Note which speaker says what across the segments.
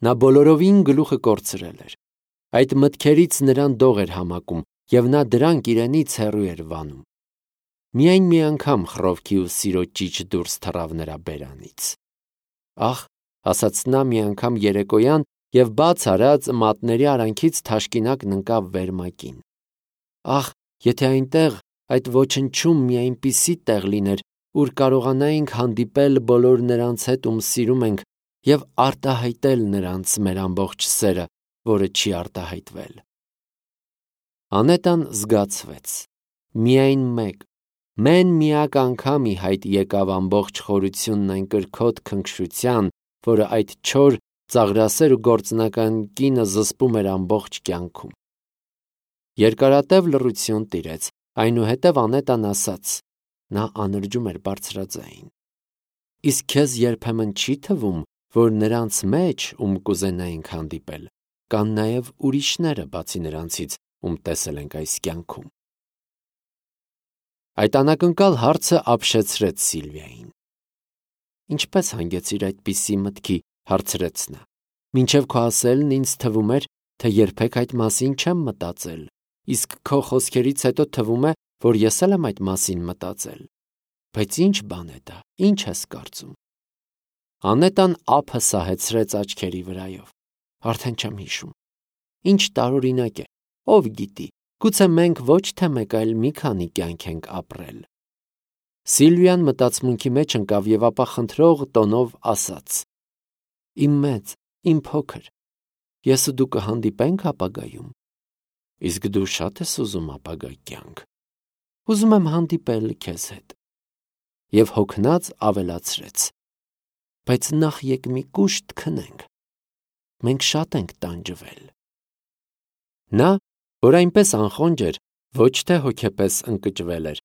Speaker 1: Նա բոլորովին գլուխը կորցրել էր։ Այդ մտքերից նրան դող էր համակում, և նա դրանք իրենից հեռու էր վանում։ Միայն մի անգամ խռովքի ու սիրո ճիչ դուրս թռավ նրա բերանից։ Ահ, ասաց նա մի անգամ երեկոյան և բաց արած մատների արանքից թաշկինակն ընկավ վերմակին։ Ահ, եթե այնտեղ այդ ոչնչում մի այնպիսի տեղ լիներ, ուր կարողանայինք հանդիպել բոլոր նրանց հետ, ում սիրում ենք, և արտահայտել նրանց մեր ամբողջ սերը, որը չի արտահայտվել։ Անետան զգացվեց։ Միայն մեն-միակ անգամ ի հայտ եկավ ամբողջ խորությունն այն կրքոտ քնքշության, որը այդ չոր, ծաղրասեր ու գործնական կինը զսպում էր ամբողջ կյանքում։ Երկարատև լռություն տիրեց, այնուհետև Անետան ասաց. նա անրջում էր բարձրաձայն. Իսկ քեզ երբեմն չի թվում, որ նրանց մեջ, ում կուզենայինք հանդիպել, կան նաև ուրիշները, բացի նրանցից, ում տեսել ենք այս կյանքում։ Այդ անակնկալ հարցը ապշեցրեց Սիլվիային։ Ինչպե՞ս հանգեցիր այդպիսի մտքի, հարցրեց նա։ Մինչև քո ասելն ինձ թվում էր, թե երբեք այդ մասին չեմ մտածել, իսկ քո խոսքերից հետո թվում է, որ ես էլ եմ այդ մասին մտածել։ Բայց ի՞նչ բան է դա, ի՞նչ ես կարծում։ Անետան ափը սահեցրեց աչքերի վրայով։ Արդեն չեմ հիշում։ Ինչ տարօրինակ է, ով գիտի, գուցե մենք ոչ թե մեկ, այլ մի քանի կյանք ենք ապրել։ Սիլվիան մտածմունքի մեջ ընկավ և ապա խնդրող տոնով ասաց. Իմ մեծ, իմ փոքր, ես ու դու կհանդիպե՞նք ապագայում։ Իսկ դու շատ ես ուզում ապագա կյանք։ Ուզում եմ հանդիպել քեզ հետ։ Եվ հոգնած ավելացրեց. բայց նախ եկ մի կուշտ քնենք։ Մենք շատ ենք տանջվել։ Նա, որ այնպես անխոնջ էր, ոչ թե հոգեպես ընկճվել էր,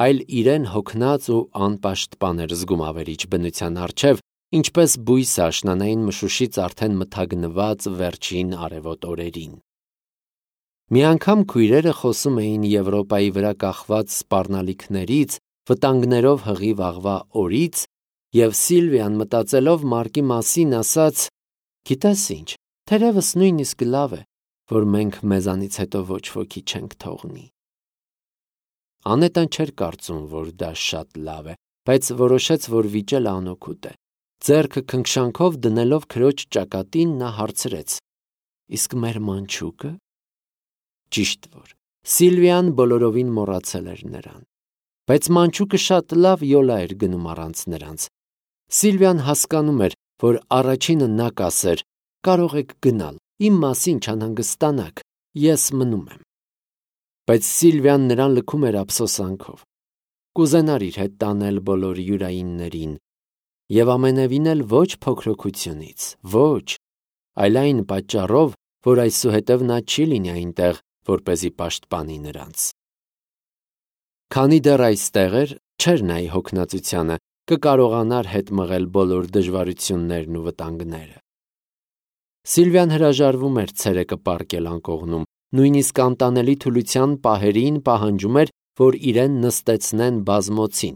Speaker 1: այլ իրեն հոգնած ու անպաշտպան էր զգում ավերիչ բնության առջև, ինչպես բույսը աշնանային մշուշից արդեն մթագնված վերջին արևոտ օրերին։ Մի անգամ քույրերը խոսում էին Եվրոպայի վրա կախված սպառնալիքներից, վտանգներով հղի վաղվա օրից, և Սիլվիան մտածելով Մարկի մասին ասաց. գիտես ինչ, թերևս նույնիսկ լավ է, որ մենք մեզանից հետո ոչ ոքի չենք թողնի։ Անետան չէր կարծում, որ դա շատ լավ է, բայց որոշեց, որ վիճելը անօգուտ է։ Ձեռքը քնքշանքով դնելով քրոջ ճակատին, նա հարցրեց. իսկ մեր մանչուկը։ Ճիշտ որ Սիլվիան բոլորովին մոռացել էր նրան։ Բայց մանչուկը շատ լավ յոլա էր գնում առանց նրանց։ Սիլվիան հասկանում էր, որ առաջինը նա կասեր. կարող եք գնալ, իմ մասին չանհանգստանաք, ես մնում եմ։ Բայց Սիլվիան նրան լքում էր ափսոսանքով։ Կուզենար իր հետ տանել բոլոր յուրայիններին, և ամենևին էլ ոչ փոքրոքությունից, ոչ, այլ այն պատճառով, որ այսուհետև նա չի լինի այնտեղ, որպեսզի պաշտպանի նրանց։ Քանի դեռ այստեղ էր, չէր նայի հոգնածությանը, կկարողանար հետ մղել բոլոր դժվարություններն ու վտանգները։ Սիլվիան հրաժարվում էր ցերեկը պառկել անկողնում, նույնիսկ անտանելի թուլության պահերին պահանջում էր, որ իրեն նստեցնեն բազմոցին,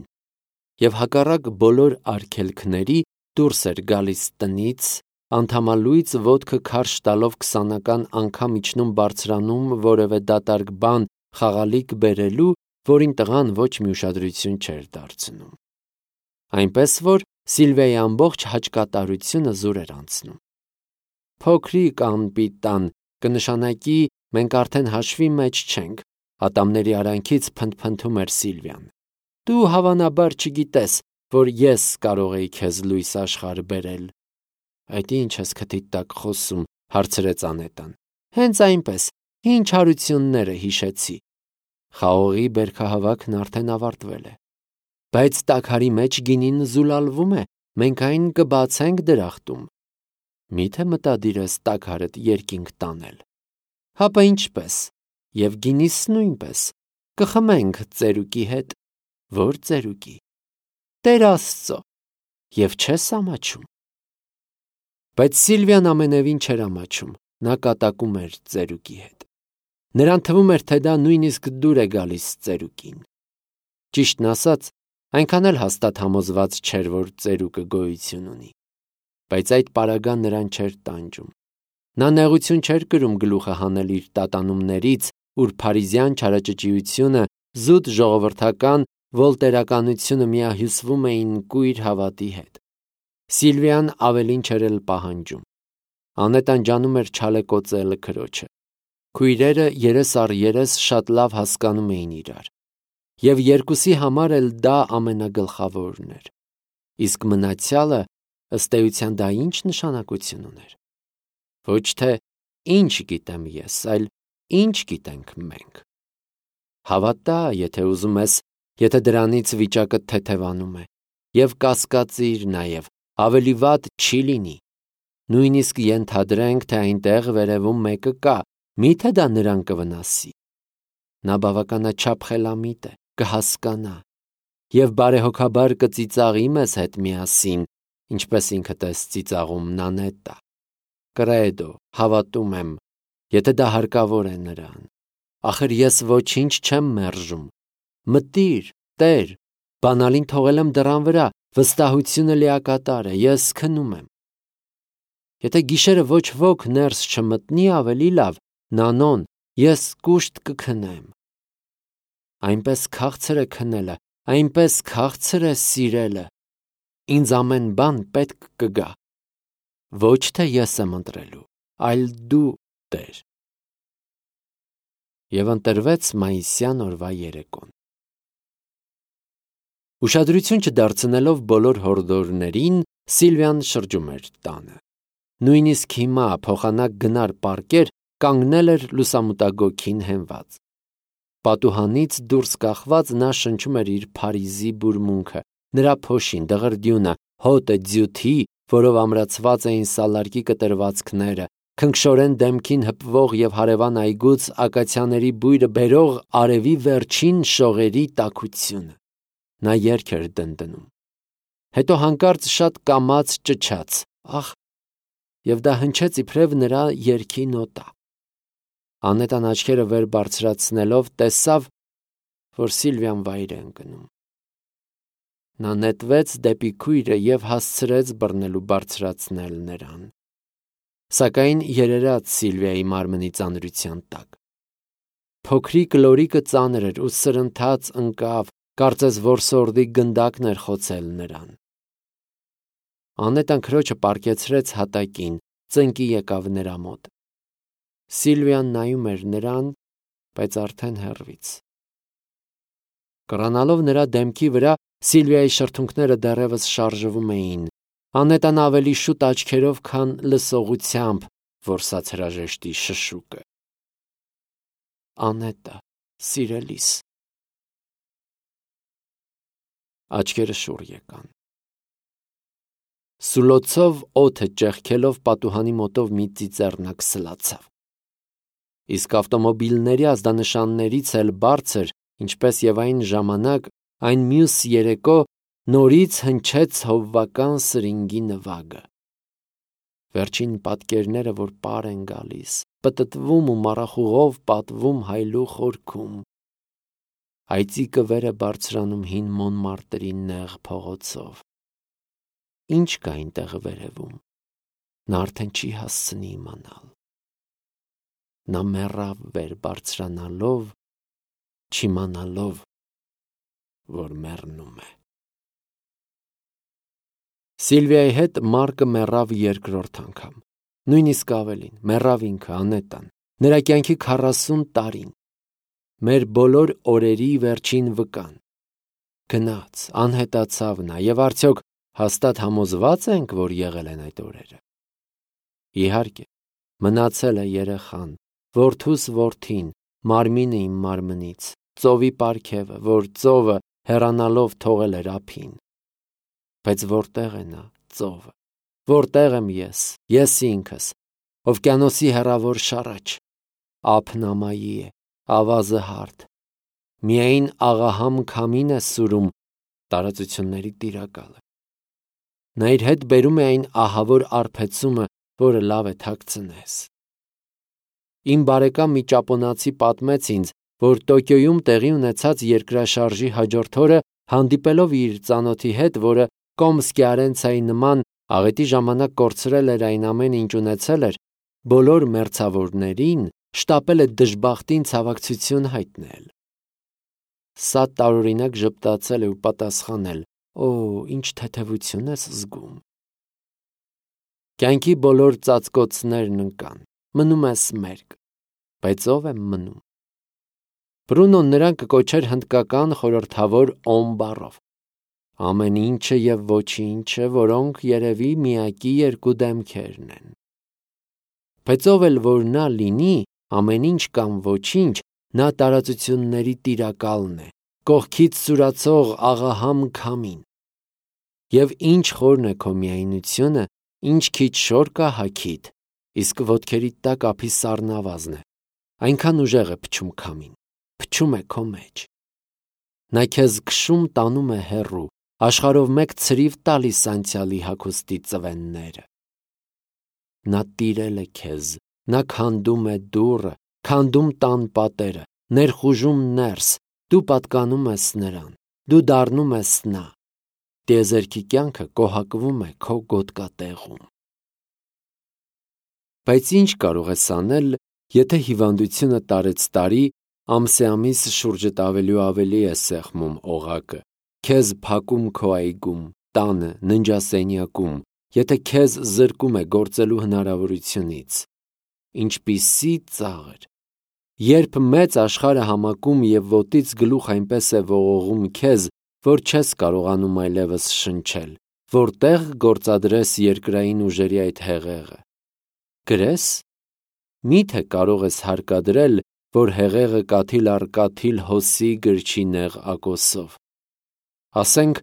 Speaker 1: և հակառակ բոլոր արգելքների դուրս էր գալիս տնից, անդամալույծ ոտքը քարշ տալով 20-ական անգամ իջնում բարձրանում որևէ դատարկ բան խաղալիք բերելու, որին տղան ոչ մի ուշադրություն չէր դարձնում։ Այնպես որ Սիլվիայի ամբողջ հաճկատարությունը զուր էր անցնում։ Փոքրիկ անպիտան, կնշանակի մենք արդեն հաշվի մեջ չենք, ատամների արանքից փնթփնթում էր Սիլվիան։ Դու հավանաբար չգիտես, որ ես կարող էի քեզ լույս աշխարհ բերել։ Այդ ի՞նչ ես քթիդ տակ խոսում, հարցրեց Անետան։ Հենց այնպես, հին չարությունները հիշեցի։ Խաղողի բերքահավաքն արդեն ավարտվել է։ Բայց տաքարի մեջ գինին զուլալվում է, մենք այն կբացենք դրախտում։ Մի՞թե մտադիր ես տաքարդ երկինք տանել։ Հապա ինչպես, և գինիս նույնպես, կխմենք ծերուկի հետ։ Ո՞ր ծերուկի։ Տեր Աստծո։ Եվ չես ամաչում։ Բայց Սիլվիան ամենևին չէր ամաչում, նա կատակում էր ծերուկի հետ։ Նրան թվում էր, թե դա նույնիսկ դուր է գալիս ծերուկին։ Ճիշտն ասած, այնքան էլ հաստատ համոզված չէր, որ ծերուկը գոյություն ունի։ բայց այդ պարագան նրան չէր տանջում։ Նա նեղություն չէր կրում գլուխը հանել իր տատանումներից, ուր փարիզյան չարաճճիությունը, զուտ ժողովրդական վոլտերականությունը միահյուսվում էին կույր հավատի հետ։ Սիլվիան ավելին չէր էլ պահանջում։ Անետան ջանում էր չալեկոծել քրոջը։ Քույրերը երես առ երես շատ լավ հասկանում էին իրար, և երկուսի համար էլ դա ամենագլխավորն էր։ Իսկ մնացյալը, ըստ էության, դա ինչ նշանակություն ուներ։ Ոչ թե ինչ գիտեմ ես, այլ ինչ գիտենք մենք։ Հավատա, եթե ուզում ես, եթե դրանից վիճակը թեթևանում է, և կասկածիր նաև, ավելի վատ չի լինի։ Նույնիսկ ենթադրենք, թե այնտեղ վերևում մեկը կա, միթե դա նրան կվնասի։ Նա բավականաչափ խելամիտ է, կհասկանա, և բարեհոգաբար կծիծաղի մեզ հետ միասին, ինչպես ինքդ ես ծիծաղում Նանետա։ Կրեդո, հավատում եմ, եթե դա հարկավոր է նրան։ Ախր ես ոչինչ չեմ մերժում։ Մտիր, Տեր, բանալին թողել եմ դռան վրա, վստահությունը լիակատար է, ես քնում եմ։ Եթե գիշերը ոչ ոք ներս չմտնի, ավելի լավ, Նանոն, ես կուշտ կքնեմ։ Այնպես քաղցր է քնելը, այնպես քաղցր է սիրելը։ Ինձ ամեն բան պետք կգա։ Ոչ թե ես եմ ընտրելու, այլ դու, Տեր։ Եվ ընտրվեց մայիսյան օրվա երեկոն։ Ուշադրություն չդարձնելով բոլոր հորդորներին, Սիլվիան շրջում էր տանը։ Նույնիսկ հիմա փոխանակ գնար պառկեր, կանգնել էր լուսամուտագոգին հենված։ Պատուհանից դուրս կախված նա շնչում էր իր Փարիզի բուրմունքը, նրա փոշին, դղրդյունը, հոտը, ձյութի, որով ամրացված էին սալարկի կտրվածքները, քնքշորեն դեմքին հպվող և հարևան այգուց ակացիաների բույրը բերող արևի վերջին շողերի տաքությունը։ Նա երգ էր դնդնում։ Հետո հանկարծ շատ կամաց ճչաց, ախ, և դա հնչեց իբրև նրա երգի նոտա։ Անետան աչքերը վեր բարձրացնելով տեսավ, որ Սիլվիան վայր է ընկնում։ Նա նետվեց դեպի քույրը և հասցրեց բռնել ու բարձրացնել նրան։ Սակայն երերաց Սիլվիայի մարմնի ծանրության տակ։ Փոքրիկ լորիկը ծանր էր ու սրընթաց ընկավ, կարծես որսորդի գնդակն էր խոցել նրան։ Անետան քրոջը պառկեցրեց հատակին, ծնկի եկավ նրա մոտ։ Սիլվիան նայում էր նրան, բայց արդեն հեռվից։ Կռանալով նրա դեմքի վրա, Սիլվիայի շրթունքները դեռևս շարժվում էին։ Անետան ավելի շուտ աչքերով, քան լսողությամբ որսաց հրաժեշտի շշուկը։ Անետա, սիրելիս։ Աչքերը շուռ եկան։ Սուլոցով օդը ճեղքելով պատուհանի մոտով մի ծիծեռնակ սլացավ։ Իսկ ավտոմոբիլների ազդանշաններից էլ բարձր, ինչպես եւ այն ժամանակ, այն մյուս երեկո նորից հնչեց հովվական սրինգի նվագը։ Վերջին պատկերները, որ պար են գալիս, պտտվում ու մառախուղով պատվում հայլու խորքում։ Այծիկը վեր է բարձրանում հին Մոնմարտրի նեղ փողոցով։ Ինչ կա այնտեղ վերևում, նա արդեն չի հասցնի իմանալ։ Նա մեռավ վեր բարձրանալով, չիմանալով, որ մեռնում է։ Սիլվիայի հետ Մարկը մեռավ երկրորդ անգամ, նույնիսկ ավելին, մեռավ ինքը, Անետան, նրա կյանքի 40 տարին, մեր բոլոր օրերի վերջին վկան։ Գնաց, անհետացավ նա, և արդյոք հաստատ համոզված ենք, որ եղել են այդ օրերը։ Իհարկե, մնացել է երեխան, որդուս որդին, մարմինը իմ մարմնից, ծովի պարգևը, որ ծովը հեռանալով թողել էր ափին։ Բայց որտեղ է նա, ծովը, որտեղ եմ ես ինքս, օվկիանոսի հեռավոր շառաչ, ափն ամայի է, ավազը հարթ, միայն աղահամ քամին է սուրում տարածությունների տիրակալը։ Նա իր հետ բերում է այն ահավոր արբեցումը, որը լավ է թաքցնես։ Իմ բարեկամ մի ճապոնացի պատմեց ինձ, որ Տոկիոյում տեղի ունեցած երկրաշարժի հաջորդ օրը, հանդիպելով իր ծանոթի հետ, որը Կոմսկի Արենցայի նման Աղետի ժամանակ կորցրել էր այն ամեն ինչ ունեցել էր, բոլոր մերձավորներին շտապել է դժբախտին ցավակցություն հայտնել։ Սա տարօրինակ ժպտացել է ու պատասխանել. «Օ, ինչ թեթևություն ես զգում»։ Կյանքի բոլոր ծածկոցներն ընկան, մնում ես մերկ, բայց ով է մնում։ Բրունոն նրան կկոչեր հնդկական խորհրդավոր օմ բառով։ Ամեն ինչը և ոչինչը, որոնք երևի միակի երկու դեմքերն են։ Բայց ով էլ որ նա լինի, ամեն ինչ կամ ոչինչ, նա տարածությունների տիրակալն է, կողքից սուրացող աղահամ քամին։ Եվ ինչ խորն է քո միայնությունը, ինչ քիչ շոր կա հագիդ, իսկ ոտքերիդ տակ ափի սառնավազն է, այնքան ուժեղ է փչում քամին, փչում է քո մեջ։ Նա քեզ քշում տանում է հեռու, աշխարհով մեկ ցրիվ տալիս անցյալի հագուստի ծվենները։ Նա տիրել է քեզ, նա քանդում է դուռը, քանդում տան պատերը, ներխուժում ներս, դու պատկանում ես նրան, դու դառնում ես նա։ Տիեզերքի կյանքը կոհակվում է քո գոտկատեղում։ Բայց ինչ կարող ես անել, եթե հիվանդությունը տարեցտարի, ամսեամիս շուրջդ ավելի ու ավելի է սեղմում օղակը, քեզ փակում քո այգում, տանը, ննջասենյակում, եթե քեզ զրկում է գործելու հնարավորությունից։ Ինչպիսի ծաղր։ Երբ մեծ աշխարհը համակում և ոտից գլուխ այնպես է ողողում քեզ, որ չես կարողանում այլևս շնչել, որտեղ գործադրես երկրային ուժերի այդ հեղեղը։ Գրես։ Միթե կարող ես հարկադրել, որ հեղեղը կաթիլ առ կաթիլ հոսի գրչի նեղ ակոսով։ Ասենք,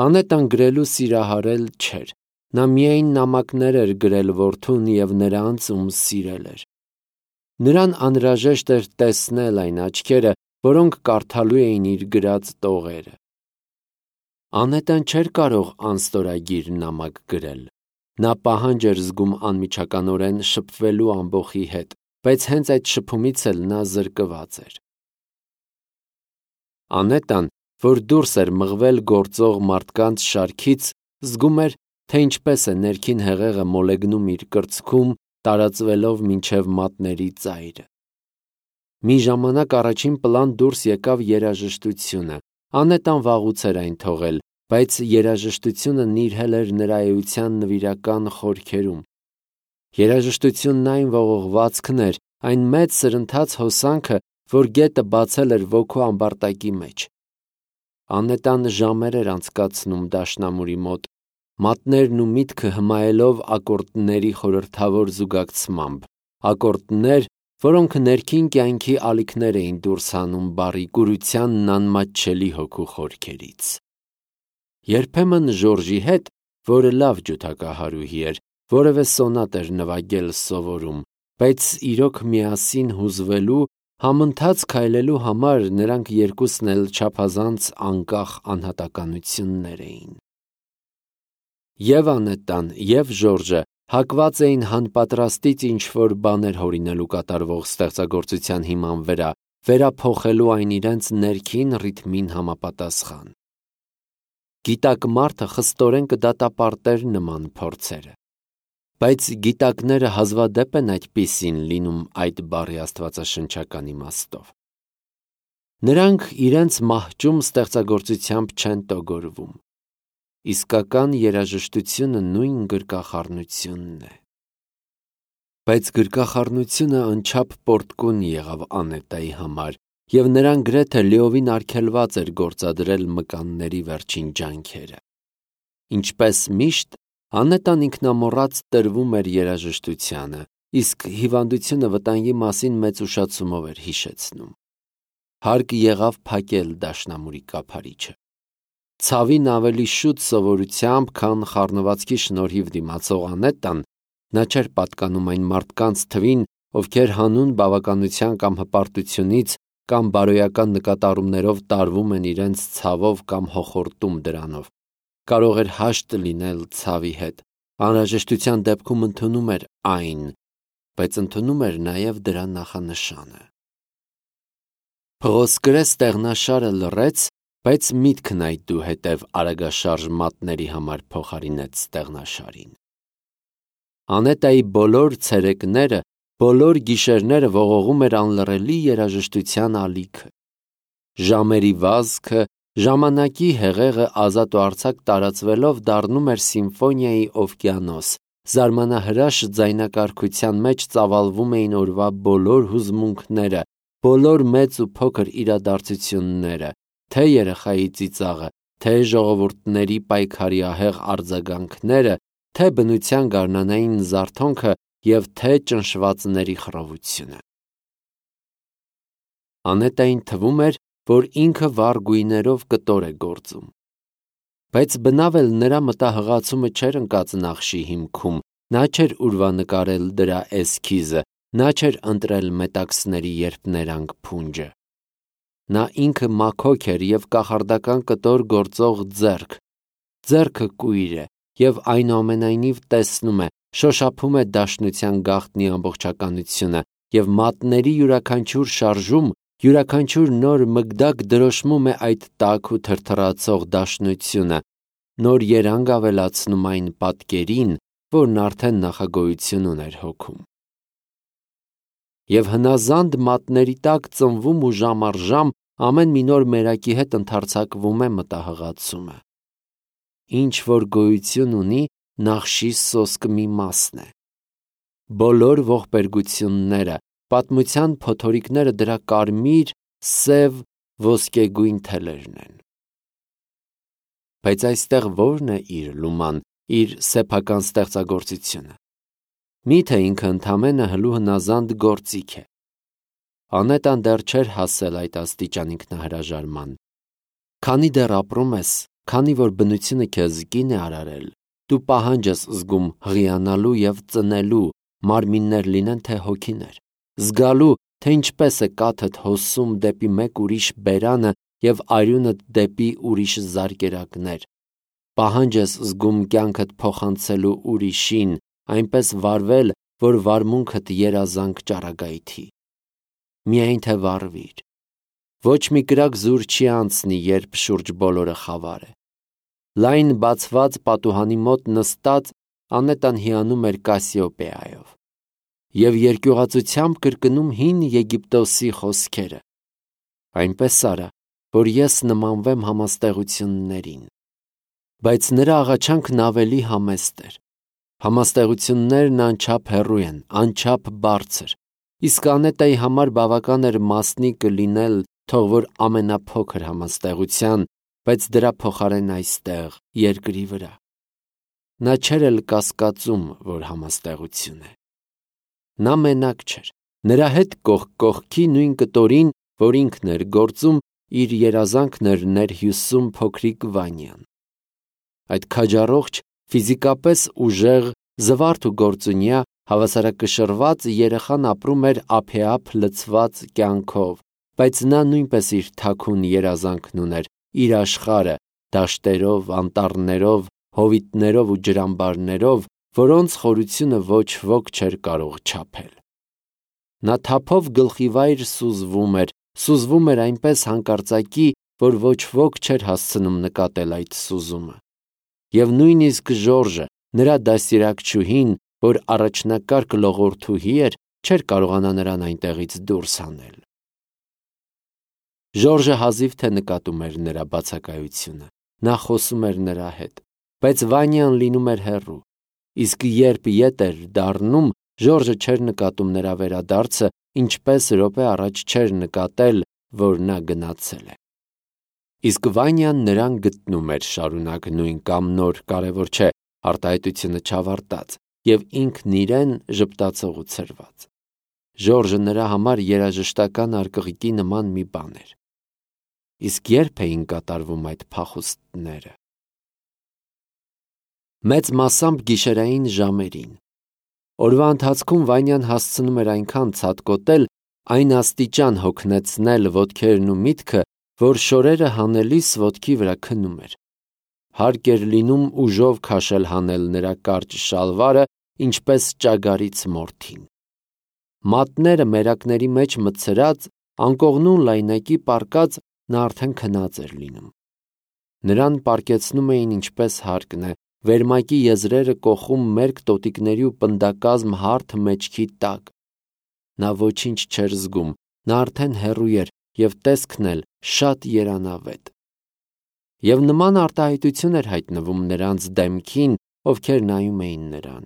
Speaker 1: Անետան գրելու սիրահարել չէր, նա միայն նամակներ էր գրել որդուն և նրանց, ում սիրել էր։ Նրան անհրաժեշտ էր տեսնել այն աչքերը, որոնք կարդալու էին իր գրած տողերը։ Անետան չէր կարող անստորագիր նամակ գրել։ Նա պահանջ էր զգում անմիջականորեն շփվելու ամբոխի հետ, բայց հենց այդ շփումից էլ նա զրկված էր։ Անետան, որ դուրս էր մղվել գործող մարդկանց շարքից, զգում էր, թե ինչպես է ներքին հեղեղը մոլեգնում իր կրծքում, տարածվելով մինչև մատների ծայրը։ Մի ժամանակ առաջին պլան դուրս եկավ երաժշտությունը։ Անետան վաղուց էր այն թողել, բայց երաժշտությունը նիրհել էր նրա էության նվիրական խորքերում։ Երաժշտությունն այն ողողվածքն էր, այն մեծ սրընթաց հոսանքը, որ գետը բացել էր ոգու ամբարտակի մեջ։ Անետան ժամեր էր անցկացնում դաշնամուրի մոտ, մատներն ու միտքը հմայելով ակորդների խորհրդավոր զուգակցմամբ, ակորդներ, որոնք ներքին կյանքի ալիքներ էին դուրս հանում բարի կուրությանն անմատչելի հոգու խորքերից։ Երբեմն Ժորժի հետ, որը լավ ջութակահարուհի էր, որևէ սոնատ էր նվագել սովորում, բայց իրոք միասին հուզվելու, համընթաց քայլելու համար նրանք երկուսն էլ չափազանց անկախ անհատականություններ էին։ Եվ Անետան, և Ժորժը հակված էին հանպատրաստից ինչ-որ բաներ հորինելու կատարվող ստեղծագործության հիման վրա, վերափոխելու այն իրենց ներքին ռիթմին համապատասխան։ Գիտակ մարդը խստորեն կդատապարտեր նման փորձերը։ Բայց գիտակները հազվադեպ են այդպիսին լինում այդ բառի աստվածաշնչական իմաստով։ Նրանք իրենց մահճում ստեղծագործությամբ չեն տոգորվում։ Իսկական երաժշտությունը նույն գրկախառնությունն է։ Բայց գրկախառնությունը անչափ պոռթկուն եղավ Անետայի համար, և նրան գրեթե լիովին արգելված էր գործադրել մկանների վերջին ջանքերը։ Ինչպես միշտ, Անետան ինքնամոռաց տրվում էր երաժշտությանը, իսկ հիվանդությունը վտանգի մասին մեծ ուշացումով էր հիշեցնում։ Հարկ եղավ փակել դաշնամուրի կափարիչը։ Ցավին ավելի շուտ սովորությամբ, քան խառնվածքի շնորհիվ դիմացող Անետան, նա չէր պատկանում այն մարդկանց թվին, ովքեր հանուն բավականության կամ հպարտությունից կամ բարոյական նկատառումներով տարվում են իրենց ցավով կամ հոխորտում դրանով։ Կարող էր հաշտ լինել ցավի հետ, անհրաժեշտության դեպքում ընդունում էր այն, բայց ընդունում էր նաև դրա նախանշանը։ Փղոսկրե ստեղնաշարը լռեց, բայց միտքն այդուհետև արագաշարժ մատների համար փոխարինեց ստեղնաշարին։ Անետայի բոլոր ցերեկները, բոլոր գիշերները ողողում էր անլռելի երաժշտության ալիքը։ Ժամերի վազքը, ժամանակի հեղեղը ազատ ու արձակ տարածվելով դառնում էր սիմֆոնիայի օվկիանոս, զարմանահրաշ ձայնակարգության մեջ ծավալվում էին օրվա բոլոր հուզմունքները, բոլոր մեծ ու փոքր իրադարձությունները, թե երեխայի ծիծաղը, թե ժողովուրդների պայքարի ահեղ արձագանքները, թե բնության գարնանային զարթոնքը և թե ճնշվածների խռովությունը։ Անետային թվում էր, որ ինքը վառ գույներով կտոր է գործում։ Բայց բնավ էլ նրա մտահղացումը չէր ընկած նախշի հիմքում, նա չէր ուրվանկարել դրա էսքիզը, նա չէր ընտրել մետաքսների երփներանգ փունջը։ Նա ինքը մաքոք էր և կախարդական կտոր գործող ձեռք։ Ձեռքը կույր է և այնուամենայնիվ տեսնում է, շոշափում է դաշնության գաղտնի ամբողջականությունը և մատների յուրաքանչյուր շարժում, յուրաքանչյուր նոր մգդակ դրոշմում է այդ տաք ու թրթռացող դաշնությունը, նոր երանգ ավելացնում այն պատկերին, որն արդեն նախագոյություն ուներ հոգում։ Եվ հնազանդ մատների տակ ծնվում ու ժամ առ ժամ ամեն մի նոր մերակի հետ ընդարձակվում է մտահղացումը։ Ինչ որ գոյություն ունի, նախշի սոսկը մի մասն է։ Բոլոր ողբերգությունները, պատմության փոթորիկները դրա կարմիր, սև, ոսկեգույն թելերն են։ Բայց այստեղ ո՞րն է իր լուման, իր սեփական ստեղծագործությունը։ Միթե ինքը ընդամենը հլու հնազանդ գործիք է։ Անետան դեռ չէր հասել այդ աստիճան ինքնահրաժարման։ Քանի դեռ ապրում ես, քանի որ բնությունը քեզ կին է արարել, դու պահանջ ես զգում հղիանալու և ծնելու, մարմիններ լինեն թե հոգիներ, զգալու, թե ինչպես է կաթդ հոսում դեպի մեկ ուրիշ բերանը և արյունդ դեպի ուրիշ զարկերակներ, պահանջ ես զգում կյանքդ փոխանցելու ուրիշին, այնպես վարվել, որ վարմունքդ երազանք ճառագայթի։ Միայն թե վարվիր։ Ոչ մի կրակ զուր չի անցնի, երբ շուրջ բոլորը խավար է։ Լայն բացված պատուհանի մոտ նստած Անետան հիանում էր Կասիոպեայով և երկյուղածությամբ կրկնում հին Եգիպտոսի խոսքերը. «Այնպես արա, որ ես նմանվեմ համաստեղություններին»։ Բայց նրա աղաչանքն ավելի համեստ էր։ Համաստեղություններն անչափ հեռու են, անչափ բարձր, իսկ Անետայի համար բավական էր մասնիկը լինել, թող որ ամենափոքր համաստեղության, բայց դրա փոխարեն այստեղ, երկրի վրա։ Նա չէր էլ կասկածում, որ համաստեղություն է։ Նա մենակ չէր։ Նրա հետ կողք կողքի նույն կտորին, որ ինքն էր գործում, իր երազանքն էր ներհյուսում փոքրիկ Վանյան։ Այդ քաջառողջ, ֆիզիկապես ուժեղ, զվարթ ու գործունյա, հավասարակշռված երեխան ապրում էր ափեափ լցված կյանքով, բայց նա նույնպես իր թաքուն երազանքն ուներ, իր աշխարհը, դաշտերով, անտառներով, հովիտներով ու ջրամբարներով, որոնց խորությունը ոչ ոք չէր կարող չափել։ Նա թափով գլխիվայր սուզվում էր այնպես հանկարծակի, որ ոչ ոք չէր հասցնում նկատել այդ սուզումը։ Եվ նույնիսկ Ժորժը, նրա դաստիարակչուհին, որ առաջնակարգ լողորդուհի էր, չէր կարողանա նրան այնտեղից դուրս հանել։ Ժորժը հազիվ թե նկատում էր նրա բացակայությունը, նա խոսում էր նրա հետ, բայց Վանյան լինում էր հեռու, իսկ երբ ետ էր դառնում, Ժորժը չէր նկատում նրա վերադարձը, ինչպես րոպե առաջ չէր նկատել, որ նա գնացել է։ Իսկ Վանյան նրան գտնում էր շարունակ նույն կամ նոր, կարևոր չէ, արտահայտությունը չավարտած, և ինքն իրեն ժպտացող ու ցրված։ Ժորժը նրա համար երաժշտական արկղիկի նման մի բան էր։ Իսկ երբ էին կատարվում այդ փախուստները։ Մեծ մասամբ գիշերային ժամերին։ Օրվա ընթացքում Վանյան հասցնում էր այնքան ցատկոտել, այն աստիճան հոգնեցնել ոտքերն ու միտքը, որ շորերը հանելիս ոտքի վրա քնում էր։ Հարկ էր լինում ուժով քաշել հանել նրա կարճ շալվարը, ինչպես ճագարից մորթին։ Մատները մերակների մեջ մտցրած, անկողնու լայնակի պառկած, նա արդեն քնած էր լինում։ Նրան պարկեցնում էին ինչպես հարկն է, վերմակի եզրերը կոխում մերկ տոտիկների ու պնդակազմ հարթ մեջքի տակ։ Նա ոչինչ չէր զգում, նա արդեն հեռու էր և տեսքն էլ շատ երանավետ։ Եվ նման արտահայտություն էր հայտնվում նրանց դեմքին, ովքեր նայում էին նրան։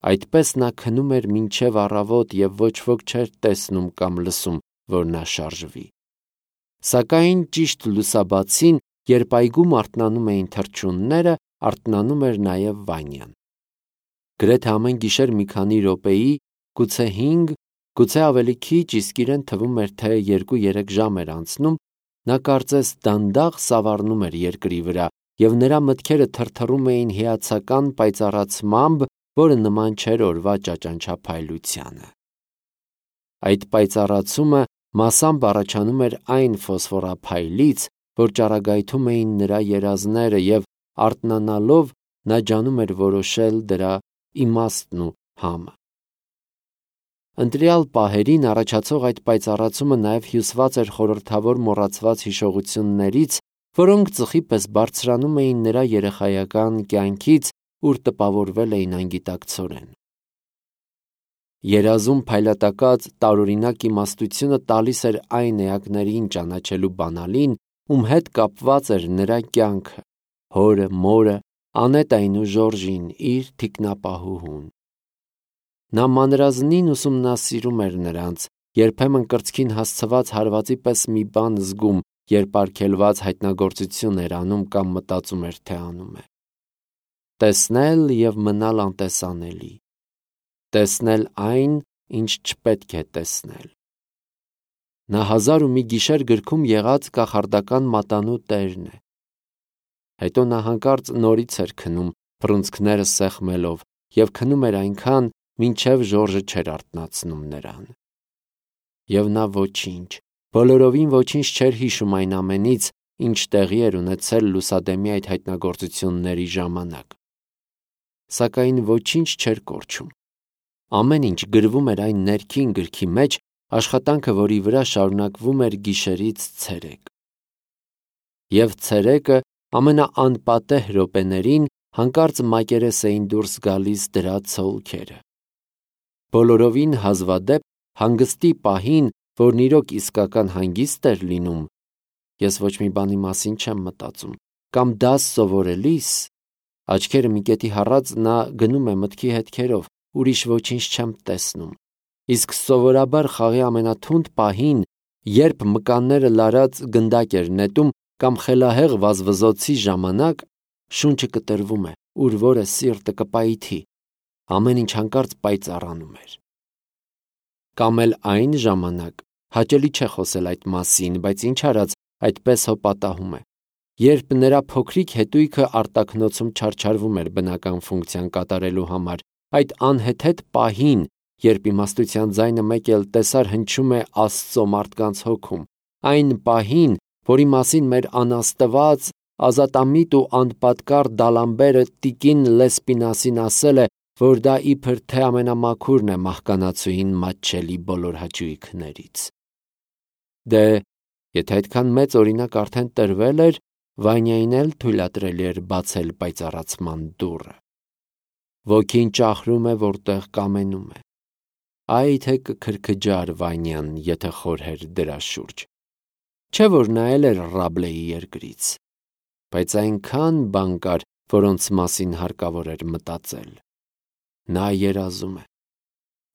Speaker 1: Այդպես նա քնում էր մինչև առավոտ և ոչ ոք չէր տեսնում կամ լսում, որ նա շարժվի։ Սակայն ճիշտ լուսաբացին, երբ այգում արթնանում էին թռչունները, արթնանում էր նաև Վանյան։ Գրեթե ամեն գիշեր մի քանի րոպեի, գուցե 5, գուցե ավելի քիչ, իսկ իրեն թվում էր, թե 2-3 ժամ էր անցնում, նա կարծես դանդաղ սավառնում էր երկրի վրա, և նրա մտքերը թրթռում էին հիացական պայծառացմամբ, որը նման չէր օրվա ճաճանչափայլությանը։ Այդ պայծառացումը մասամբ առաջանում էր այն ֆոսֆորափայլից, որ ճառագայթում էին նրա երազները, և արթնանալով նա ջանում էր որոշել դրա իմաստն ու համը։ Ընտրյալ պահերին առաջացող այդ պայծառացումը նաև հյուսված էր խորհրդավոր մոռացված հիշողություններից, որոնք ծխի պես բարձրանում էին նրա երեխայական կյանքից, ուր տպավորվել էին անգիտակցորեն։ Երազում փայլատակած տարօրինակ իմաստությունը տալիս էր այն էակներին ճանաչելու բանալին, ում հետ կապված էր նրա կյանքը, հորը, մորը, Անետային ու Ժորժին, իր թիկնապահուհուն։ Նա մանրազնին ուսումնասիրում էր նրանց, երբեմն կրծքին հասցված հարվածի պես մի բան զգում, երբ արգելված հայտնագործություն էր անում կամ մտածում էր, թե անում է։ Տեսնել և մնալ անտեսանելի։ Տեսնել այն, ինչ չպետք է տեսնել։ Նա 1001 գիշեր գրքում եղած կախարդական մատանու տերն է։ Հետո նա հանկարծ նորից էր քնում, բռունցքները սեղմելով, և քնում էր այնքան, մինչև Ժորժը չէր արթնացնում նրան։ Եվ նա ոչինչ, բոլորովին ոչինչ չէր հիշում այն ամենից, ինչ տեղի էր ունեցել լուսադեմի այդ հայտնագործությունների ժամանակ։ Սակայն ոչինչ չէր կորչում։ Ամեն ինչ գրվում էր այն ներքին գրքի մեջ, աշխատանքը, որի վրա շարունակվում էր գիշերից ցերեկ։ Եվ ցերեկը ամենաանպատեհ րոպեներին հանկարծ մակերես էին դուրս գալիս դրա ցոլքերը։ Բոլորովին հազվադեպ հանգստի պահին, որն իրոք իսկական հանգիստ էր լինում, ես ոչ մի բանի մասին չեմ մտածում, կամ դաս սովորելիս, աչքերը մի կետի հառած նա գնում է մտքի հետքերով, ուրիշ ոչինչ չեմ տեսնում, իսկ սովորաբար խաղի ամենաթունդ պահին, երբ մկանները լարած գնդակ էր նետում կամ խելահեղ վազվզոցի ժամանակ, շունչը կտրվում է, ուր որը սիրտը կպայթի, ամեն ինչ հանկարծ պայծառանում էր։ Կամ էլ այն ժամանակ, հաճելի չէ խոսել այդ մասին, բայց ինչ արած, այդպես հո պատահում է, երբ նրա փոքրիկ հետույքը արտաքնոցում չարչարվում էր բնական ֆունկցիան կատարելու համար, այդ անհեթեթ պահին, երբ իմաստության ձայնը մեկ էլ տեսար հնչում է Աստծո մարդկանց հոգում, այն պահին, որի մասին մեր անաստված, ազատամիտ ու անպատկառ Դալամբերը տիկին Լեսպինասին ասել է, որ դա իբր թե ամենամաքուրն է մահկանացուին մատչելի բոլոր հաճույքներից։ Դե, եթե այդքան մեծ օրինակ արդեն տրվել էր, Վանյային էլ թույլատրելի էր բացել պայծառացման դուռը։ Ոգին ճախրում է, որտեղ կամենում է։ Այ թե կքրքջար Վանյան, եթե խորհեր դրա շուրջ։ Չէ որ նայել էր Ռաբլեի երկրից, բայց այնքան բան կար, որոնց մասին հարկավոր էր մտածել։ Նա երազում է։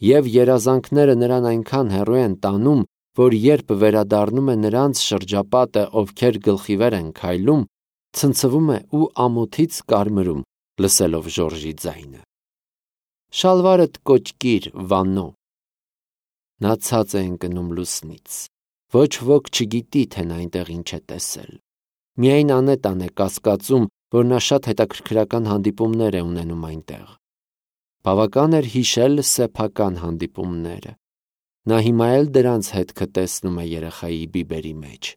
Speaker 1: Եվ երազանքները նրան այնքան հեռու են տանում, որ երբ վերադառնում է նրանց շրջապատը, ովքեր գլխիվեր են քայլում, ցնցվում է ու ամոթից կարմրում, լսելով Ժորժի ձայնը։ Շալվարդ կոճկիր, Վաննո։ Նա ցած է ընկնում լուսնից։ Ոչ ոք չգիտի, թե նա այնտեղ ինչ է տեսել։ Միայն Անետան է կասկածում, որ նա շատ հետաքրքրական հանդիպումներ է ունենում այնտեղ։ Բավական էր հիշել սեփական հանդիպումները։ Նա հիմա էլ դրանց հետքը տեսնում է երեխայի բիբերի մեջ։